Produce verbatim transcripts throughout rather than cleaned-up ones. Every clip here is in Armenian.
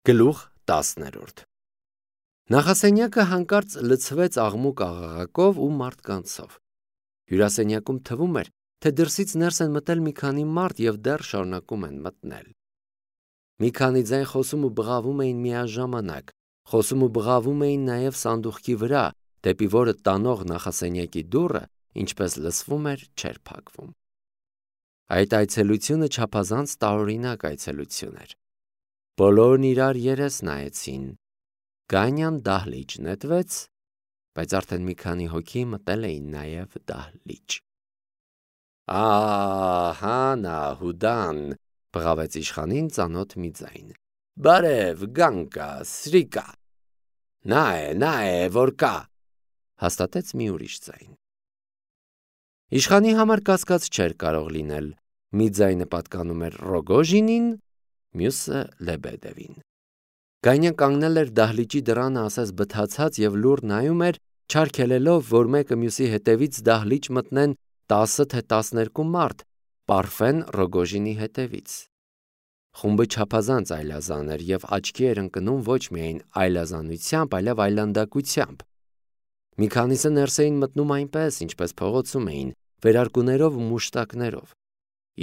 Գլուխ տասներորդ Նախասենյակը հանկարծ լցվեց աղմուկ աղաղակով ու մարդկանցով։ Հյուրասենյակում թվում էր, թե դրսից ներս են մտել մի քանի մարդ և դեռ շարունակում են մտնել։ Մի քանի ձայն խոսում ու բղավում էին միաժամանակ, խոսում ու բղավում էին նաև սանդուղքի վրա, դեպի որը տանող նախասենյակի դուռը, ինչպես լսվում էր, չէր փակվում։ Այդ այցելությունը չափազանց տարօրինակ այցելություն էր։ Բոլորն իրար երես նայեցին։ Գանյան դահլիճ նետվեց, բայց արդեն մի քանի հոգի մտել էին նաև դահլիճ։ Ահա նա հուդան, բղավեց իշխանին ծանոթ մի ձայն։ Բարև, Գանկա, Սրիկա։ Նա է, նա է, որ կա, հաստատեց մի ուրիշ ձայն։ Իշխանի համար կասկած չէր կարող լինել։ Մի ձայնը պատկանում էր Ռոգոժինին, մյուսը Լեբեդևին։ Գանյան կանգնել էր դահլիճի դռանը ասես բթացած և լուռ նայում էր, չարգելելով, որ մեկը մյուսի հետևից դահլիճ մտնեն տասը թե տասներկու մարդ, Պարֆեն Ռոգոժինի հետևից։ Խումբը չափազանց այլազան էր և աչքի էր ընկնում ոչ միայն այլազանությամբ, այլև այլանդակությամբ։ Մի քանիսը ներս էին մտնում այնպես, ինչպես փողոցում էին, վերարկուներով ու մուշտակներով։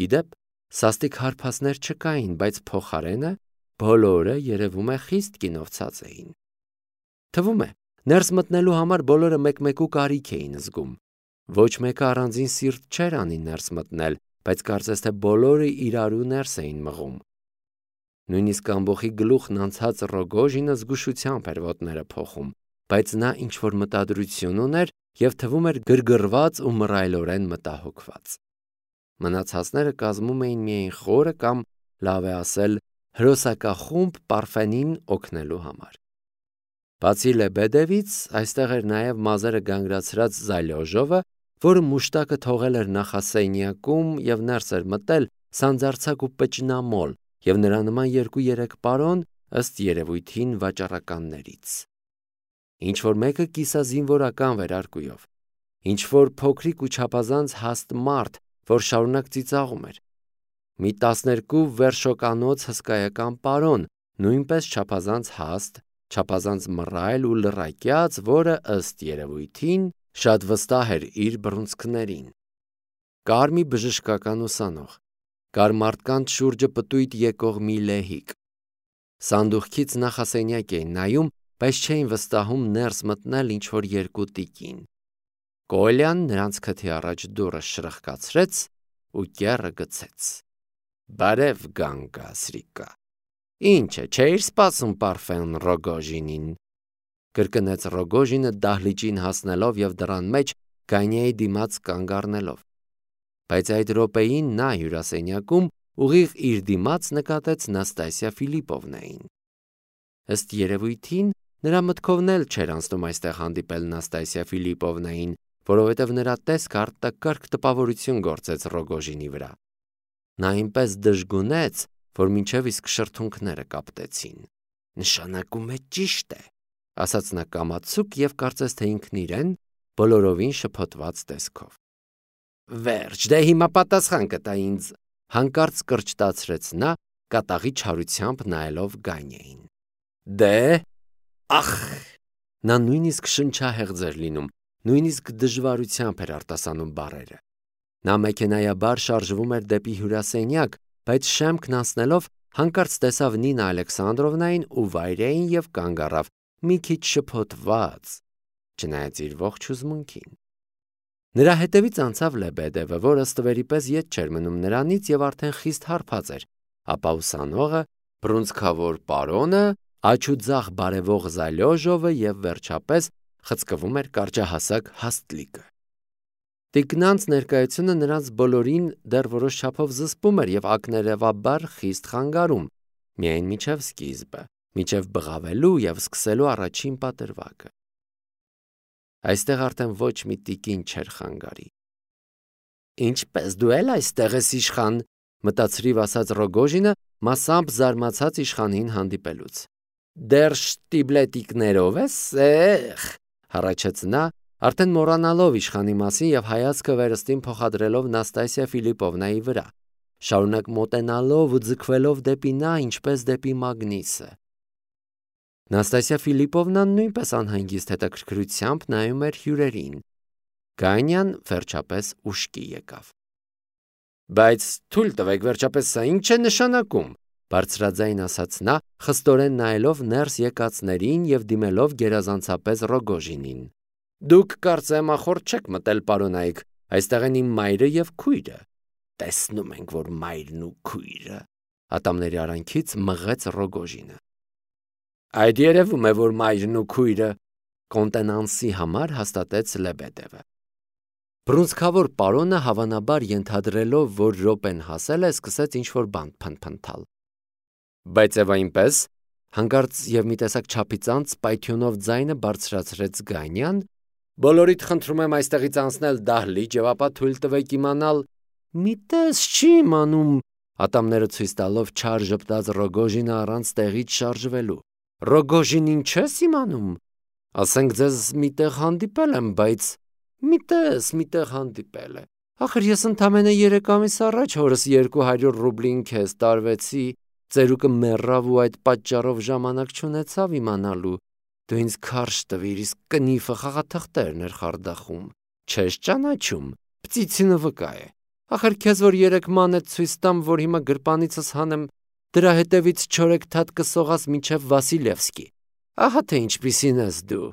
Ի դեպ, սաստիկ հարբածներ չկային, բայց փոխարենը բոլորը երևում է խիստ կինովցած էին։ Թվում է, ներս մտնելու համար բոլորը մեկ-մեկու կարիք էին զգում։ Ոչ մեկը առանձին սիրտ չէր անի ներս մտնել, բայց կարծես թե բոլորը իրարու ներս էին մղում։ Նույնիսկ ամբոխի գլուխն անցած Ռոգոժինը զգուշությամբ էր ոտները փոխում, բայց նա ինչ-որ մտադրություն ուներ և թվում էր գրգռված ու մռայլորեն մտահոգված։ Մնացածները կազմում էին միայն խորը կամ, լավ է ասել, հրոսակախումբ Պարֆենին օգնելու համար։ Բացի Լեբեդևից, այստեղ էր նաև մազերը գանգրացրած Զալյոժովը, որը մուշտակը թողել էր նախասենյակում և ներս էր մտել սանձարձակ ու պճնամոլ և նրա նման երկու-երեք պարոն, ըստ երևույթին վաճառականներից։ Ինչ-որ մեկը կիսազինվորական վերարկուով, ինչ-որ փոքրիկ ու չափազանց հաստ մարդ, որ շարունակ ծիծաղում էր։ Մի տասներկու վերշոկանոց հսկայական պարոն, նույնպես չափազանց հաստ, չափազանց մռայլ ու լռակյաց, որը, ըստ երևույթին, շատ վստահ էր իր բռունցքներին։ Կար մի բժշկական ուսանող, կար մարդկանց շուրջը պտույտ եկող մի լեհիկ։ Սանդուղքից նախասենյակ էին նայում, բայց չէին վստահում ներս մտնել ինչ-որ երկու տիկին։ Կոլյան նրանց քթի առաջ դուռը շրխկացրեց ու կեռը գցեց։ Բարև, Գանկա, Սրիկա։ Ինչ է, չէիր սպասում Պարֆեն Ռոգոժինին, կրկնեց Ռոգոժինը դահլիճին հասնելով և դռան մեջ Գանյայի դիմաց կանգ առնելով։ Բայց այդ րոպեին նա հյուրասենյակում ուղիղ իր դիմաց նկատեց Նաստասիա Ֆիլիպովնային։ Ըստ երևույթին, նրա մտքովն էլ չէր անցնում այստեղ հանդիպել Նաստասիա Ֆիլիպովնային, որովհետև նրա տեսքը արտակարգ տպավորություն գործեց Ռոգոժինի վրա։ Նա այնպես դժգունեց, որ մինչև իսկ շրթունքները կապտեցին։ Նշանակում է ճիշտ է, ասաց նա կամացուկ և կարծես թե ինքն իրեն բոլորովին շփոթված տեսքով։ Վերջ, դե հիմա պատասխան կտա ինձ, հանկարծ կրճտացրեց նա, կատաղի չարությամբ նայելով Գանյային։ Դե, ախ, նա նույնիսկ շնչահեղձ էր լինում, նույնիսկ դժվարությամբ էր արտասանում բառերը։ Նա մեքենայաբար շարժվում էր դեպի հյուրասենյակ, բայց շեմքն անցնելով հանկարծ տեսավ Նինա Ալեքսանդրովնային ու Վայրային և կանգ առավ, մի քիչ շփոթված, չնայած իր ողջ հուզմունքին։ Նրա հետևից անցավ Լեբեդևը, որը ստվերի պես ետ չէր մնում նրանից և արդեն խիստ հարբած էր, ապա ուսանողը, բռունցքավոր պարոնը, աջ ու ձախ բարևող Զալյոժովը և վերջապես խցկվում էր կարճահասակ Հաստնիկը։ Տիկնանց ներկայությունը նրանց բոլորին դեռ որոշ չափով զսպում էր և ակներևաբար խիստ խանգարում, միայն մինչև սկիզբը, մինչև բղավելու և սկսելու առաջին պատրվակը։ Այստեղ արդեն ոչ մի տիկին չէր խանգարի։ Ինչպես դու էլ այստեղ ես, իշխան, մտածրիվ ասաց Ռոգոժինը, մասամբ զարմացած իշխանին հանդիպելուց։ Դեռ շտիբլետիկներով ես, էխ, հառաչեց նա, արդեն մոռանալով իշխանի մասին և հայացքը վերստին փոխադրելով Նաստասիա Ֆիլիպովնայի վրա, շարունակ մոտենալով ու ձգվելով դեպի նա, ինչպես դեպի մագնիսը։ Նաստասիա Ֆիլիպովնան նույնպես անհանգիստ հետաքրքրությամբ նայում էր հյուրերին։ Գանյան վերջապես ուշքի եկավ։ Բայց թույլ տվեք, վերջապես սա ինչ է նշանակում, բարձրաձայն ասաց նա, խստորեն նայելով ներս եկածներին և դիմելով գերազանցապես Ռոգոժինին։ Դուք կարծեմ ախորդ չեք մտել, պարոնայք, այստեղ են իմ մայրը և քույրը։ Տեսնում ենք, որ մայրն ու քույրը, ատամների արանքից մղեց Ռոգոժինը։ Այդ երևում է, որ մայրն ու քույրը, կոնտենանսի համար հաստատեց Լեբեդևը։ Բռունցքավոր պարոնը հավանաբար ենթադրելով, որ րոպեն հասել է, սկսեց ինչ-որ բան փնթփնթալ։ Բայց եւ այնպես, հանկարծ եւ մի տեսակ չափիծանց պայթյունով ձայնը բարձրացրեց Գանյան, բոլորիդ խնդրում եմ այստեղից անցնել դահլիճ եւ ապա թույլ տվեք իմանալ, մի տես չի իմանում, ատամները ցույց տալով չար ժպտաց Ռոգոժինը առանց տեղից շարժվելու։ Ռոգոժինին չես իմանում։ Ասենք ձեզ միտեղ հանդիպել եմ, բայց մի տես միտեղ հանդիպել է։ Ախր ես ընդամենը երեք ամիս առաջ հորս երկու հարյուր ռուբլին քեզ տարվեցի, ծերուկը մեռավ ու այդ պատճառով ժամանակ չունեցավ իմանալու։ Դու ինձ քարշ տվիր, իսկ կնիֆը խաղաթղթերն էր խարդախում։ Չես ճանաչում, պծիցինը վկա է։ Ախր քեզ որ երեք մանետ ցույց տամ, որ հիմա գրպանիցս հանեմ, դրա հետևից չորեքթաթ կսողաս մինչև Վասիլևսկի։ Ահա թե ինչպիսին ես դու։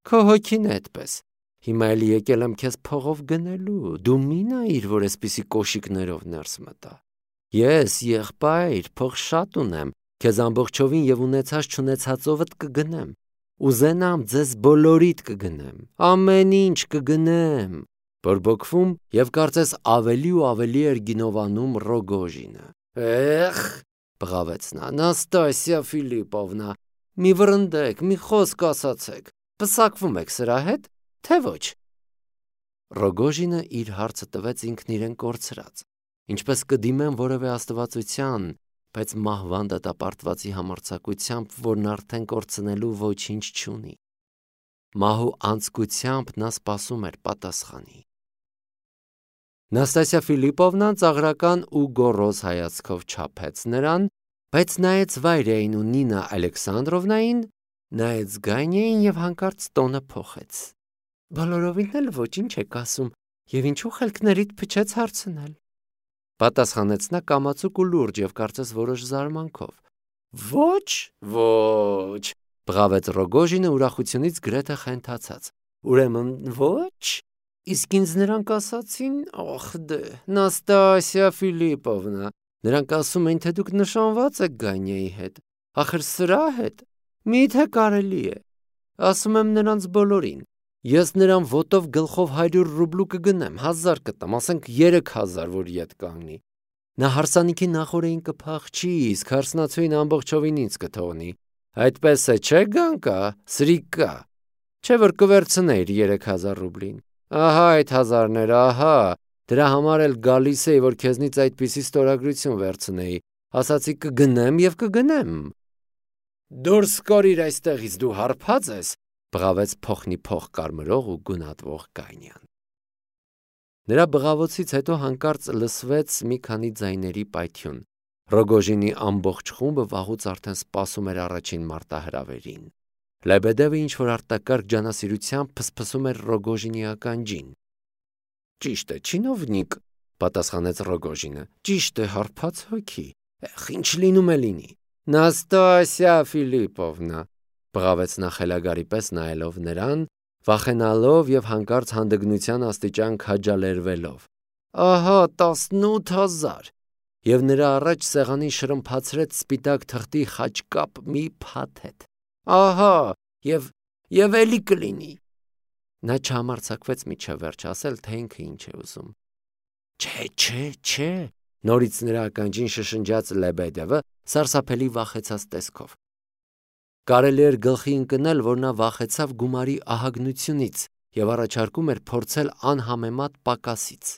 Քո հոգին է այդպես։ Հիմա էլի եկել եմ քեզ փողով գնելու, դու մի նայիր, որ այսպիսի կոշիկներով ներս մտա։ Ես եղբայր, փող շատ ունեմ, քեզ ամբողջովին եւ ունեցած չունեցածովդ կգնեմ։ Ուզենամ ձեզ բոլորիդ կգնեմ, ամեն ինչ կգնեմ։ Բորբոքվում եւ կարծես ավելի ու ավելի էր գինովանում Ռոգոժինը։ Էխ, բղավեց նա, Նաստասիա Ֆիլիպովնա, մի վրընդեք, մի խոսք ասացեք, պսակվում եք սրա հետ, թե ոչ։ Ռոգոժինը իր հարցը տվեց ինքն իրեն կորցրած, ինչպես կդիմեն որևէ աստվածության, բայց մահվան դատապարտվածի համարձակությամբ, որն արդեն կորցնելու ոչինչ չունի։ Մահու անցկությամբ նա սպասում էր պատասխանի։ Նաստասիա Ֆիլիպովնան ծաղրական ու գոռոզ հայացքով չափեց նրան, բայց նայեց Վայրեին ու Նինա Ալեքսանդրովնային, նայեց Գանյային եւ հանկարծ տոնը փոխեց։ Բոլորովին էլ ոչինչ եք ասում, եւ ինչու խելքներիդ փչեց հարցնել։ Պատասխանեց նա կամացուկ ու լուրջ եւ կարծես որոշ զարմանքով։ Ոչ, ոչ, բղավեց Ռոգոժինը ուրախությունից գրեթե խենթացած։ Ուրեմն ոչ, իսկ ինձ նրանք ասացին, ախ դե, Նաստասիա Ֆիլիպովնա, նրանք ասում են, թե դուք նշանված եք Գանյայի հետ, ախր սրա հետ, միթե կարելի է, ասում եմ նրանց բոլորին, ես նրան ոտով գլխով հարյուր ռուբլու կգնեմ, հազար կտամ, ասենք երեք հազար, որ ետ կանգնի, նա հարսանիքի նախորեին կփախչի, իսկ հարսնացուին ամբողջովին ինձ կթողնի, այդպես է, չէ Գանկա, սրիկա, չէ որ կվերցնեիր երեք հազար ռուբլին, ահա այդ հազարները, ահա, դրա համար էլ գալիս էի, որ քեզնից այդպիսի ստորագրություն վերցնեի, ասացի կգնեմ և կգնեմ։ Դուրս կորիր այստեղից, դու հարբած ես, բղավեց փոխնի փող կարմրող ու գունատվող Գանյան։ Նրա բղավոցից հետո հանկարծ լսվեց մի քանի ձայների պայթյուն։ Ռոգոժինի ամբողջ խումբը վաղուց արդեն սպասում էր առաջին մարտահրավերին։ Լեբեդևը ինչ-որ արտակարգ ջանասիրությամբ փսփսում էր Ռոգոժինի ականջին։ Ճիշտ է, չինովնիկ, պատասխանեց Ռոգոժինը, ճիշտ է, հարբած հոգի, ախ, ինչ լինում է լինի։ Նաստասիա Ֆիլիպովնա, բղավեց նա խելագարի պես նայելով նրան, վախենալով եւ հանկարծ հանդգնության աստիճան քաջալերվելով։ Ահա տասնութ հազար։ Եվ նրա առաջ սեղանին շրմփացրեց սպիտակ թղթի խաչկապ մի փաթեթ։ Ահա, եւ եւ էլի կլինի։ Նա չհամարձակվեց միջև վերջ ասել, թե ինքը ինչ է ուզում։ Չէ, չէ, չէ, նորից նրա ականջին շշնջաց Լեբեդևը սարսափելի վախեցած տեսքով։ Կարելի էր գլխի ընկնել, որ նա վախեցավ գումարի ահագնությունից եւ առաջարկում էր փորձել անհամեմատ պակասից։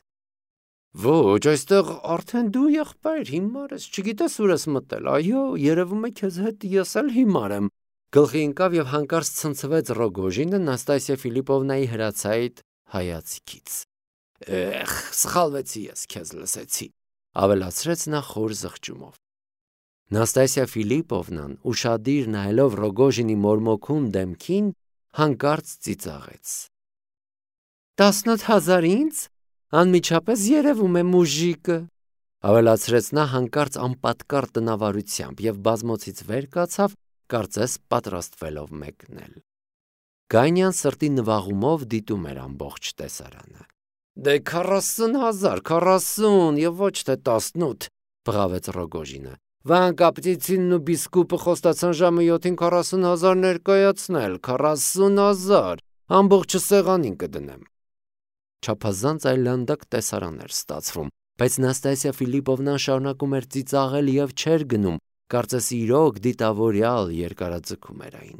Ոչ, այստեղ արդեն դու եղբայր հիմար ես, չգիտես ուր ես մտել, այո, երևում է քեզ հետ ես էլ հիմար եմ։ Գլխի ընկավ եւ հանկարծ ցնցվեց Ռոգոժինը Նաստասիա Ֆիլիպովնայի հրացայիտ հայացքից։ Էխ, սխալվեցի ես, քեզ լսեցի, ավելացրեց նա խոր զղջումով։ Նաստասիա Ֆիլիպովնան ուշադիր նայելով Ռոգոժինի մորմոքուն դեմքին հանկարծ ծիծաղեց. «Տասնոթ հազար ինձ, անմիջապես երևում է մուժիկը», ավելացրեց նա հանկարծ անպատկառ տնավարությամբ և բազմոցից վեր կացավ, կարծես պատրաստվելով մեկնել։ Գանյան սրտի նվաղումով դիտում էր ամբողջ տեսարանը։ «Դե քառասուն հազար, քառասուն և ոչ թե տասնութ», բղավեց Ռոգոժինը։ «Վանկա Պտիցինն ու Բիսկուպը խոստացան ժամը յոթին քառասուն հազար ներկայացնել, քառասուն հազար, ամբողջը սեղանին կդնեմ»։ Չափազանց այլանդակ տեսարան էր ստացվում, բայց Նաստասիա Ֆիլիպովնան շարունակում էր ծիծաղել և չէր գնում, կարծես իրոք դիտավորյալ երկարաձգում էր այն։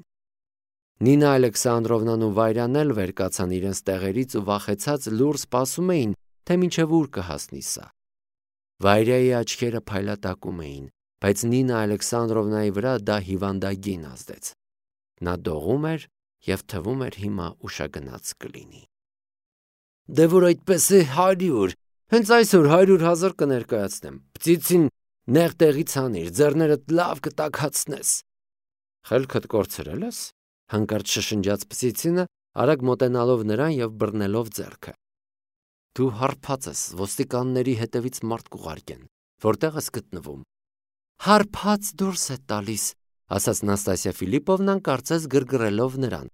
Նինա Ալեքսանդրովնան ու Վայրան էլ վեր կացան իրենց տեղերից ու վախեցած լուռ սպասում էին, թե մինչև ուր կհասնի սա։ Վայրայի աչքերը փայլատակում էին, բայց Նինա Ալեքսանդրովնայի վրա դա հիվանդագին ազդեց։ Նա դողում էր և թվում էր հիմա ուշագնաց կլինի։ «Դե որ այդպես է հարյուր, հենց այսօր հարյուր հազար կներկայացնեմ, Պտիցին նեղ տեղից հանիր, ձեռներդ լավ կտաքացնես»։ «Խելքդ կորցրել ես», հանկարծ շշնջաց Պտիցինը, արագ մոտենալով նրան և բռնելով ձեռքը։ «Դու հարբած ես, ոստիկանների հետևից մարդ կուղարկեն, որտեղ ես գտնվում»։ «Հարբած դուրս է տալիս», ասաց Նաստասիա Ֆիլիպովնան, կարծես գրգռելով նրան։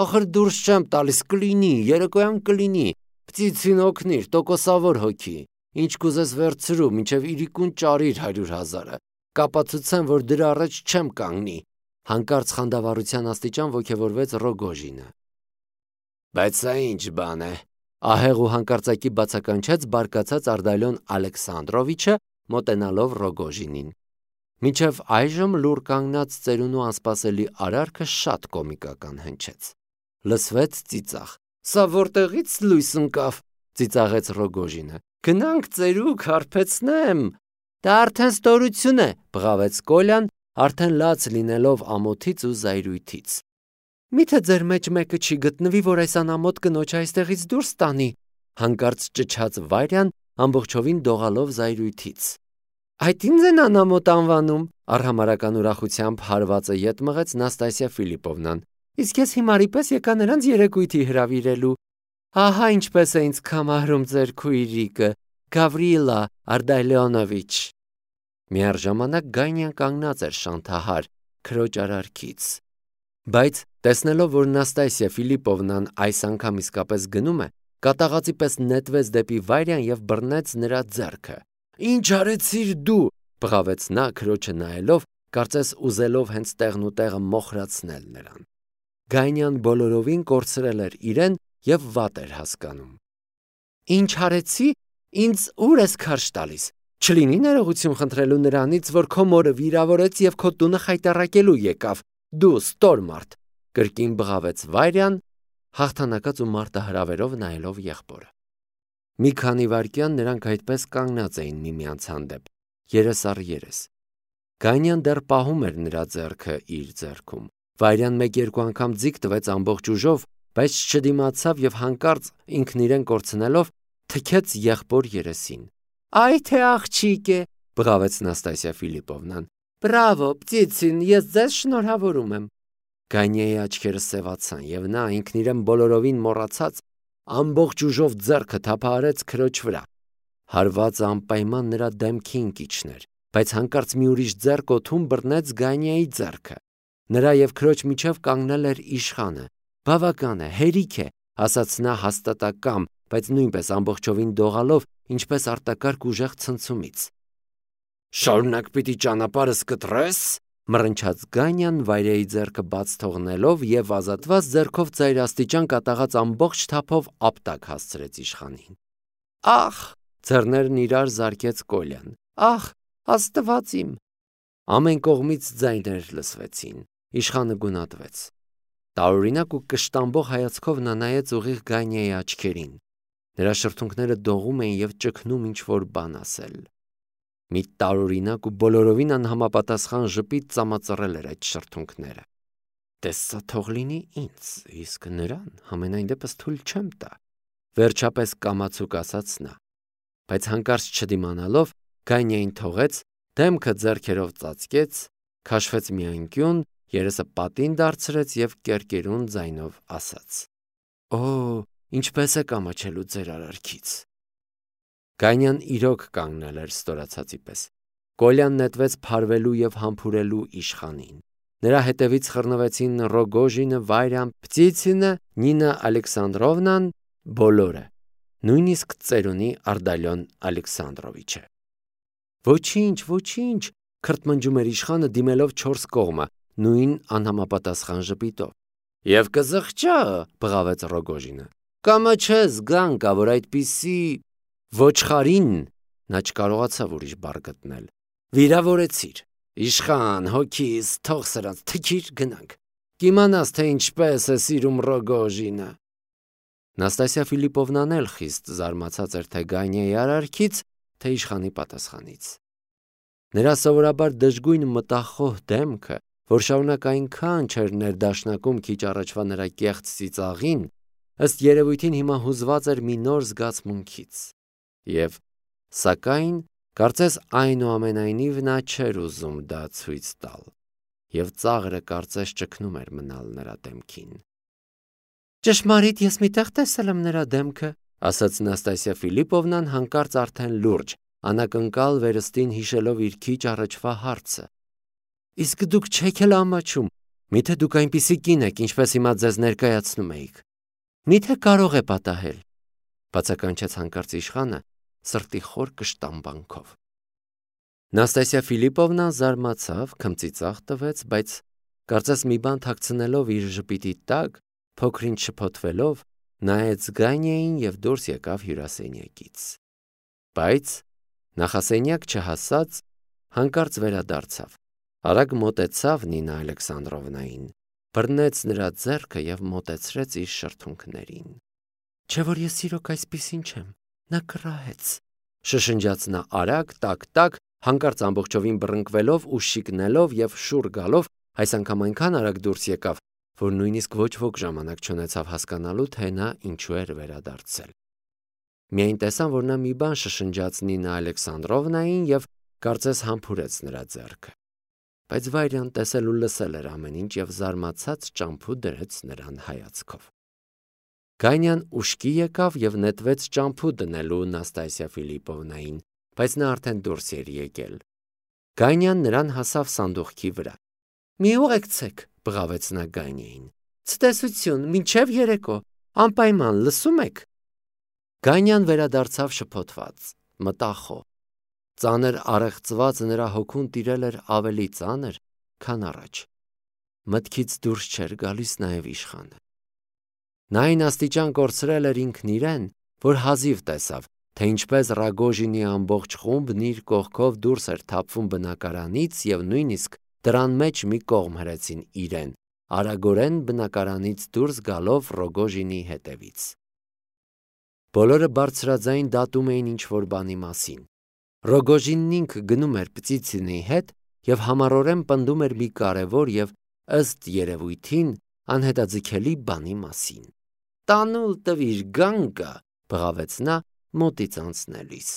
«Ախր դուրս չեմ տալիս, կլինի, երեկոյան կլինի, Պտիցին օգնիր, տոկոսավոր հոգի, ինչ կուզես վերցրու, մինչև իրիկուն ճարիր հարյուր հազարը, կապացուցեմ, որ դրա առաջ չեմ կանգնի», հանկարծ խանդավառության աստիճան ոգևորվեց Ռոգոժինը։ «Բայց սա ինչ բան է», ահեղ ու հանկարծակի բացականչեց բարկացած Ардալիոն Ալեքսանդրովիչը, մոտենալով Ռոգոժինին։ Մինչև այժմ լուռ կանգնած ծերունու անսպասելի արարքը շատ կոմիկական հնչեց։ Լսվեց ծիծաղ։ «Սա որտեղից լույս ընկավ», ծիծաղեց Ռոգոժինը։ «Գնանք ծերուկ, հարբեցնեմ»։ «Դա արդեն ստորություն է», բղավեց Կոլյան, արդեն լաց լինելով ամոթից ու զայրույթից։ «Միթե ձեր մեջ մեկը չի գտնվի, որ այս անամոթ կնոջը այստեղից դուրս տանի», հանկարծ ճչաց Վարյան, ամբողջովին դողալով զայրույթից։ «Այդ ինձ են անամոթ անվանում», արհամարհական ուրախությամբ հարվածը ետ մղեց Նաստասիա Ֆիլիպովնան։ «Իսկ ես հիմարի պես եկա նրանց երեկույթի հրավիրելու։ Ահա ինչպես է ինձ կամահրում ձեր քույրիկը, Գավրիլա Ардալիոնովիչ»։ Միառժամանակ Գանյան կանգնած էր շանթահար քրոջ արարքից։ Բայց տեսնելով, որ Նաստասիա Ֆիլիպովնան այս անգամ իսկապես գնում է, կատաղածի պես նետվեց դեպի Վարյան և բռնեց նրա ձեռքը։ «Ինչ արեցիր դու», բղավեց նա քրոջը նայելով, կարծես ուզելով հենց տեղն ու տեղը մոխրացնել նրան։ Գանյան բոլորովին կորցրել էր իրեն և վատ էր հասկանում։ «Ինչ արեցի, ինձ ուր ես քարշ տալիս։ Չլինի ներողություն խնդրելու նրանից, որ քո մորը վիրավորեց և քո տունը խայտառակելու եկավ, դու ստոր մարդ», կրկին բղավեց Վարյան, հաղթանակած ու մարտահրավերով նայելով եղբորը։ Մի քանի վայրկյան նրանք այդպես կանգնած էին միմյանց հանդեպ, երես առ երես։ Գանյան դեռ պահում էր նրա ձեռքը իր ձեռքում։ Վարյան մեկ-երկու անգամ ձիգ տվեց ամբողջ ուժով, բայց չդիմացավ և հանկարծ ինքն իրեն կորցնելով թքեց եղբոր երեսին։ «Այ թե աղջիկ է», բղավեց Նաստասիա Ֆիլիպովնան։ «Բրավո, Պտիցին, ես ձեզ շնորհավորում եմ»։ Գանյայի աչքերը սևացան, և նա ինքն իրեն բոլորովին մոռացած ամբողջ ուժով ձեռքը թափահարեց քրոջ վրա։ Հարվածը անպայման նրա դեմքին կիջներ, բայց հանկարծ մի ուրիշ ձեռք օդում բռնեց Գանյայի ձեռքը։ Նրա և քրոջ միջև կանգնել էր իշխանը։ «Բավական է, հերիք է», ասաց նա հաստատակամ, բայց նույնպես ամբողջովին դողալով, ինչպես արտակարգ ուժեղ ցնցումից։ «Շարունակ պիտի ճանապարհս կտրե՞ս», մռնչաց Գանյան Վարյայի ձեռքը բաց թողնելով և ազատված ձեռքով ծայրաստիճան կատաղած ամբողջ թափով ապտակ հասցրեց իշխանին։ «Ախ», ձեռներն իրար զարկեց Կոլյան, «ախ, Աստված իմ»։ Ամեն կողմից ձայներ լսվեցին։ Իշխանը գունատվեց։ Տարօրինակ ու կշտամբող հայացքով նա նայեց ուղիղ Գանյայի աչքերին։ Նրա շրթունքները դողում էին և ճգնում ինչ-որ բան ասել։ Մի տարօրինակ ու բոլորովին անհամապատասխան ժպիտ ծամածռել էր այդ շրթունքները։ «Դե սա թող լինի ինձ, իսկ նրան համենայն դեպս թույլ չեմ տա», վերջապես կամացուկ ասաց նա։ Բայց հանկարծ չդիմանալով, Գանյային թողեց, դեմքը ձեռքերով ծածկեց, քաշվեց մի անկյուն, երեսը պատին դարձրեց և կերկերուն ձայնով ասաց. «Օ, ինչպես եք ամաչելու ձեր արարքից»։ Գայնյան իրոք կանգնել էր ստորացածի պես։ Կոլյան նետվեց փարվելու և համբուրելու իշխանին։ Նրա հետևից խռնվեցին Ռոգոժինը, Վայրան, Պտիցինը, Նինա Ալեքսանդրովնան, բոլորը, նույնիսկ ծերունի Արդալյոն Ալեքսանդրովիչը։ «Ոչինչ, ոչինչ», քրթմնջում էր իշխանը, դիմելով չորս կողմը, նույն անհամապատասխան ժպիտով։ «Եվ կզղջա», բղավեց Ռոգոժինը։ «Կամաչես, Գանկա, որ այդպիսի ոչխարին», նա չկարողացավ ուրիշ բառ գտնել, «վիրավորեցիր։ Իշխան, հոգիս, թող սրանց, թքիր, գնանք։ Կիմանաս, թե ինչպես է սիրում Ռոգոժինը»։ Նաստասիա Ֆիլիպովնան էլ խիստ զարմացած էր թե Գայնիայի արարքից, թե իշխանի պատասխանից։ Նրա սովորաբար դժգույն մտախոհ դեմքը, որ շարունակ այնքան չէր ներդաշնակում քիչ առաջվա նրա կեղծ ծիծաղին, ըստ երևույթին հիմա հուզված էր մի նոր զգացմունքից։ Եվ, սակայն, կարծես այնուամենայնիվ նա չէր ուզում դա ցույց տալ, և ծաղրը կարծես ճգնում էր մնալ նրա դեմքին։ «Ճշմարիտ, ես մի տեղ տեսել եմ նրա դեմքը», ասաց Նաստասիա Ֆիլիպովնան հանկարծ արդեն լուրջ, անակնկալ վերստին հիշելով իր քիչ առաջվա հարցը։ «Իսկ դուք չեք էլ ամաչում, միթե դուք այնպիսի կին եք, ինչպես հիմա ձեզ ներկայացնում էիք։ Միթե կարող է պատահել», բացականչեց հանկարծ իշխանը սրտի խոր կշտամբանքով։ Նաստասիա Ֆիլիպովնան զարմացավ, քմծիծաղ տվեց, բայց կարծես մի բան թաքցնելով իր ժպիտի տակ, փոքր-ինչ շփոթվելով, նայեց Գայնիային և դուրս եկավ հյուրասենյակից։ Բայց նախասենյակ չհասած, հանկարծ վերադարձավ, արագ մոտեցավ Նինա Ալեքսանդրովնային, բռնեց նրա ձեռքը և մոտեցրեց իր շրթունքներին։ «Չէ՞ որ ես իրոք այսպիսին չեմ, նա կռահեց», շշնջաց նա արագ, տակ-տակ, հանկարծ ամբողջովին բռնկվելով ու շիկնելով և շուռ գալով, այս անգամ այնքան արագ դուրս եկավ, որ նույնիսկ ոչ ոք ժամանակ չունեցավ հասկանալու, թե նա ինչու էր վերադարձել։ Միայն տեսան, որ նա մի բան շշնջաց Նինա Ալեքսանդրովնային և կարծես համբուրեց նրա ձեռքը։ Բայց Վայրան տեսել ու լսել էր ամեն ինչ և զարմացած ճամփու դրեց նրան հայացքով։ Գայնյան ուշքի եկավ և նետվեց ճամփու դնելու Նաստասիա Ֆիլիպովնային, բայց նա արդեն դուրս էր եկել։ Գայնյան նրան հասավ սանդուղքի վրա։ «Մի ուղեկցեք», բղավեց նա Գայնիային։ «Ցտեսություն, մինչև երեկո, անպայման, լսում եք»։ Գայնյան վերադարձավ շփոթված, մտախոհ։ Ծանր առեղծված նրա հոգուն տիրել էր ավելի ծանր, քան առաջ։ Մտքից դուրս չէր գալիս նաև իշխանը։ Նա այն աստիճան կորցրել էր ինքն իրեն, որ հազիվ տեսավ, թե ինչպես Ռագոժինի ամբողջ խումբն իր կողքով դուրս էր թափվում բնակարանից և նույնիսկ դռան մեջ մի կողմ հրեցին իրեն, արագորեն բնակարանից դուրս գալով Ռոգոժինի հետևից։ Բոլորը բարձրաձայն դատում էին ինչ-որ բանի մասին։ Ռոգոժինն ինքը գնում էր Պտիցինի հետ և համառորեն պնդում էր մի կարևոր և, ըստ երևույթին, անհետաձգելի բանի մասին։ «Տանուլ տվիր, Գանկա», բղավեց նա մոտից անցնելիս։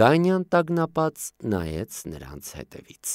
Գայնյան տագնապած նայեց նրանց հետևից։